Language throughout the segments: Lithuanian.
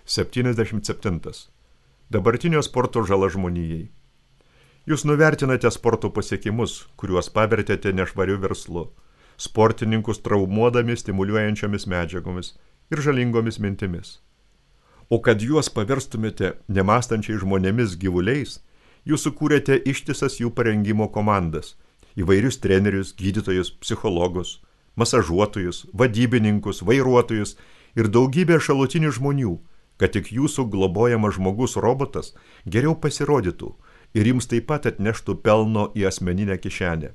77. Dabartinio sporto žala žmonijai. Jūs nuvertinate sporto pasiekimus, kuriuos pavertėte nešvariu verslu, sportininkus traumuodami stimuliuojančiomis medžiagomis ir žalingomis mintimis. O kad juos paverstumėte nemąstančiai žmonėmis gyvuliais, jūs sukūrėte ištisas jų parengimo komandas, įvairius trenerius, gydytojus, psichologus, masažuotojus, vadybininkus, vairuotojus ir daugybę šalutinių žmonių, kad tik jūsų globojamas žmogus robotas geriau pasirodytų ir jums taip pat atneštų pelno į asmeninę kišenę.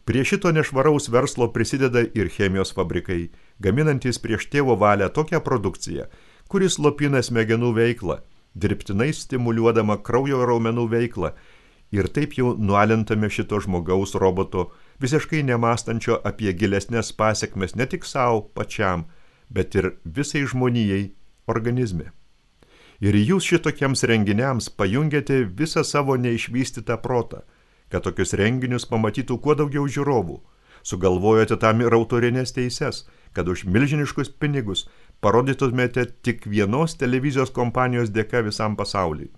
Prie šito nešvaraus verslo prisideda ir chemijos fabrikai, gaminantys prieš tėvo valią tokią produkciją, kuris slopina smegenų veiklą, dirbtinai stimuliuodama kraujo raumenų veiklą ir taip jau nualintame šito žmogaus roboto, visiškai nemąstančio apie gilesnės pasekmes ne tik savo pačiam, bet ir visai žmonijai organizme. Ir jūs šitokiems renginiams pajungiate visą savo neišvystytą protą, kad tokius renginius pamatytų kuo daugiau žiūrovų. Sugalvojote tam ir autorinės teises, kad už milžiniškus pinigus parodytumėte tik vienos televizijos kompanijos dėka visam pasauliui.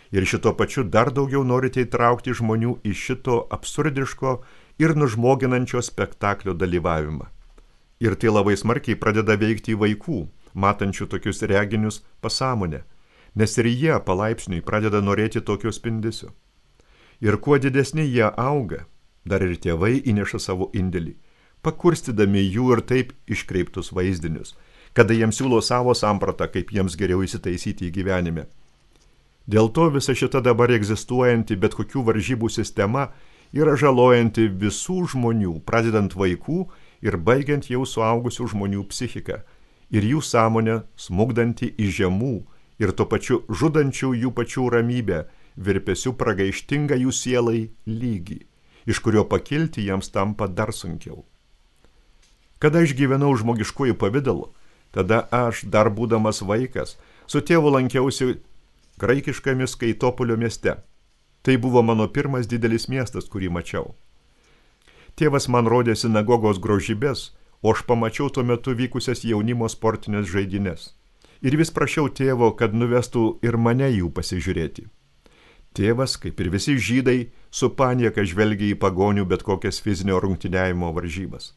Ir šito pačiu dar daugiau norite įtraukti žmonių į šito absurdiško ir nužmoginančio spektaklio dalyvavimą. Ir tai labai smarkiai pradeda veikti vaikų, matančių tokius reginius pasąmonę, nes ir jie palaipsniui pradeda norėti tokio spindesio. Ir kuo didesni jie auga, dar ir tėvai įneša savo indėlį, pakurstydami jų ir taip iškreiptus vaizdinius, kada jiems siūlo savo sampratą, kaip jiems geriau įsitaisyti į gyvenime. Dėl to visa šita dabar egzistuojanti bet kokių varžybų sistema yra žalojanti visų žmonių, pradedant vaikų ir baigiant jau suaugusių žmonių psichiką, ir jų sąmonę smukdanti į žemų ir tuo pačiu žudančių jų pačių ramybę, virpesių pragaištingą jų sielai lygį, iš kurio pakilti jiems tampa dar sunkiau. Kada aš gyvenau žmogiškųjų pavidalu, tada aš, dar būdamas vaikas, su tėvu lankiausi graikiškame Skaitopolio mieste. Tai buvo mano pirmas didelis miestas, kurį mačiau. Tėvas man rodė sinagogos grožybės, o aš pamačiau tuo metu vykusias jaunimo sportinės žaidynės. Ir vis prašiau tėvo, kad nuvestų ir mane jų pasižiūrėti. Tėvas, kaip ir visi žydai, su panieka žvelgia į pagonių bet kokias fizinio rungtyniavimo varžybas.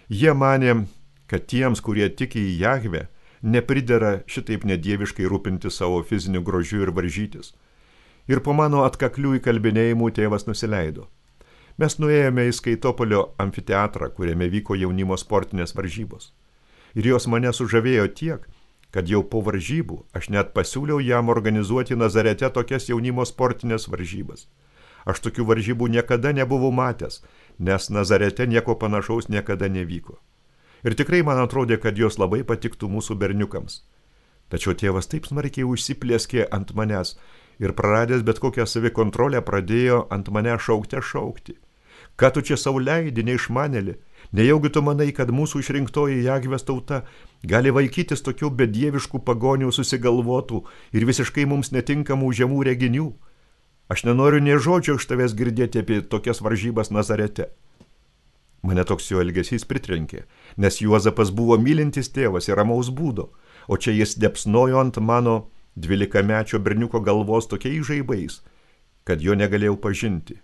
Jie manė, kad tiems, kurie tiki į Jahvę, nepridera šitaip nedieviškai rūpinti savo fiziniu grožiu ir varžytis. Ir po mano atkaklių įkalbinėjimų tėvas nusileido. Mes nuėjome į Skaitopolio amfiteatrą, kuriame vyko jaunimo sportinės varžybos. Ir jos mane sužavėjo tiek, kad jau po varžybų aš net pasiūliau jam organizuoti Nazarete tokias jaunimo sportinės varžybas. Aš tokių varžybų niekada nebuvau matęs, nes Nazarete nieko panašaus niekada nevyko. Ir tikrai man atrodė, kad jos labai patiktų mūsų berniukams. Tačiau tėvas taip smarkiai užsiplėskė ant manęs ir praradęs bet kokią savikontrolę pradėjo ant mane šaukti. Ką tu čia sau leidi, neišmanėli? Nejaugi tu manai, kad mūsų išrinktoji Jahvės tauta gali vaikytis tokių bedieviškų pagonių susigalvotų ir visiškai mums netinkamų žemų reginių? Aš nenoriu nė žodžio iš tavęs girdėti apie tokias varžybas Nazarete. Mane toks jo elgesys pritrenkė, nes Juozapas buvo mylintis tėvas ir ramaus būdo, o čia jis depsnojo ant mano 12-mečio berniuko galvos tokiais žaibais, kad jo negalėjau pažinti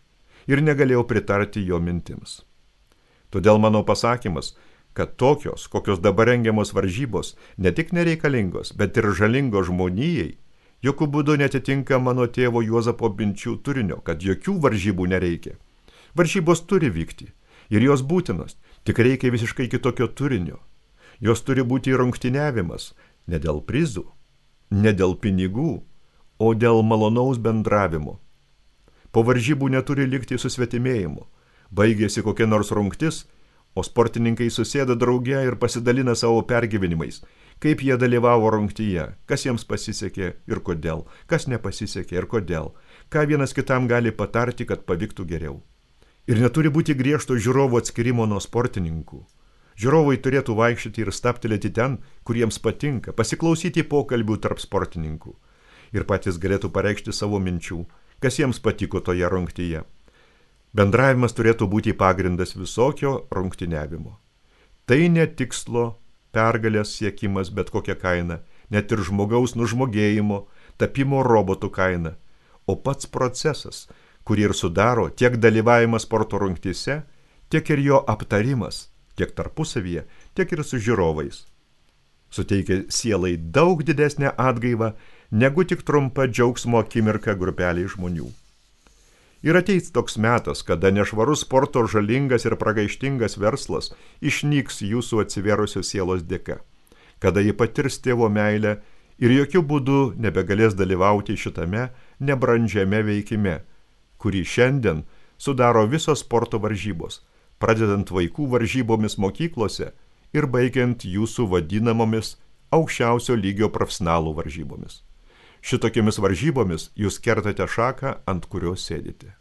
ir negalėjau pritarti jo mintims. Todėl mano pasakymas, kad tokios, kokios dabar rengiamos varžybos, ne tik nereikalingos, bet ir žalingos žmonijai, jokių būdų netitinka mano tėvo Juozapo minčių turinio, kad jokių varžybų nereikia. Varžybos turi vykti ir jos būtinos, tik reikia visiškai kitokio turinio. Jos turi būti rungtyniavimas, ne dėl prizų, ne dėl pinigų, o dėl malonaus bendravimo. Po varžybų neturi likti susvetimėjimu. Baigėsi kokia nors rungtis, o sportininkai susėda drauge ir pasidalina savo pergyvenimais, kaip jie dalyvavo rungtyje, kas jiems pasisekė ir kodėl, kas nepasisekė ir kodėl, ką vienas kitam gali patarti, kad pavyktų geriau. Ir neturi būti griežto žiūrovų atskirimo nuo sportininkų. Žiūrovai turėtų vaikščioti ir staptelėti ten, kur jiems patinka, pasiklausyti pokalbių tarp sportininkų. Ir patys galėtų pareikšti savo minčių, kas jiems patiko toje rungtyje. Bendravimas turėtų būti pagrindas visokio rungtyniavimo. Tai ne tikslo, pergalės siekimas bet kokią kainą, net ir žmogaus nužmogėjimo, tapimo robotų kaina, o pats procesas, kurį ir sudaro tiek dalyvavimas sporto rungtyse, tiek ir jo aptarimas, tiek tarpusavyje, tiek ir su žiūrovais. Suteikia sielai daug didesnę atgaivą, negu tik trumpa džiaugsmo akimirka grupeliai žmonių. Ir ateis toks metas, kada nešvarus sporto žalingas ir pragaištingas verslas išnyks jūsų atsiverusios sielos dėka, kada ji patirs tėvo meilę ir jokių būdų nebegalės dalyvauti šitame nebrandžiame veikime, kurį šiandien sudaro visos sporto varžybos, pradedant vaikų varžybomis mokyklose ir baigiant jūsų vadinamomis aukščiausio lygio profesionalų varžybomis. Šitokiamis varžybomis jūs kertate šaką, ant kurios sėdite.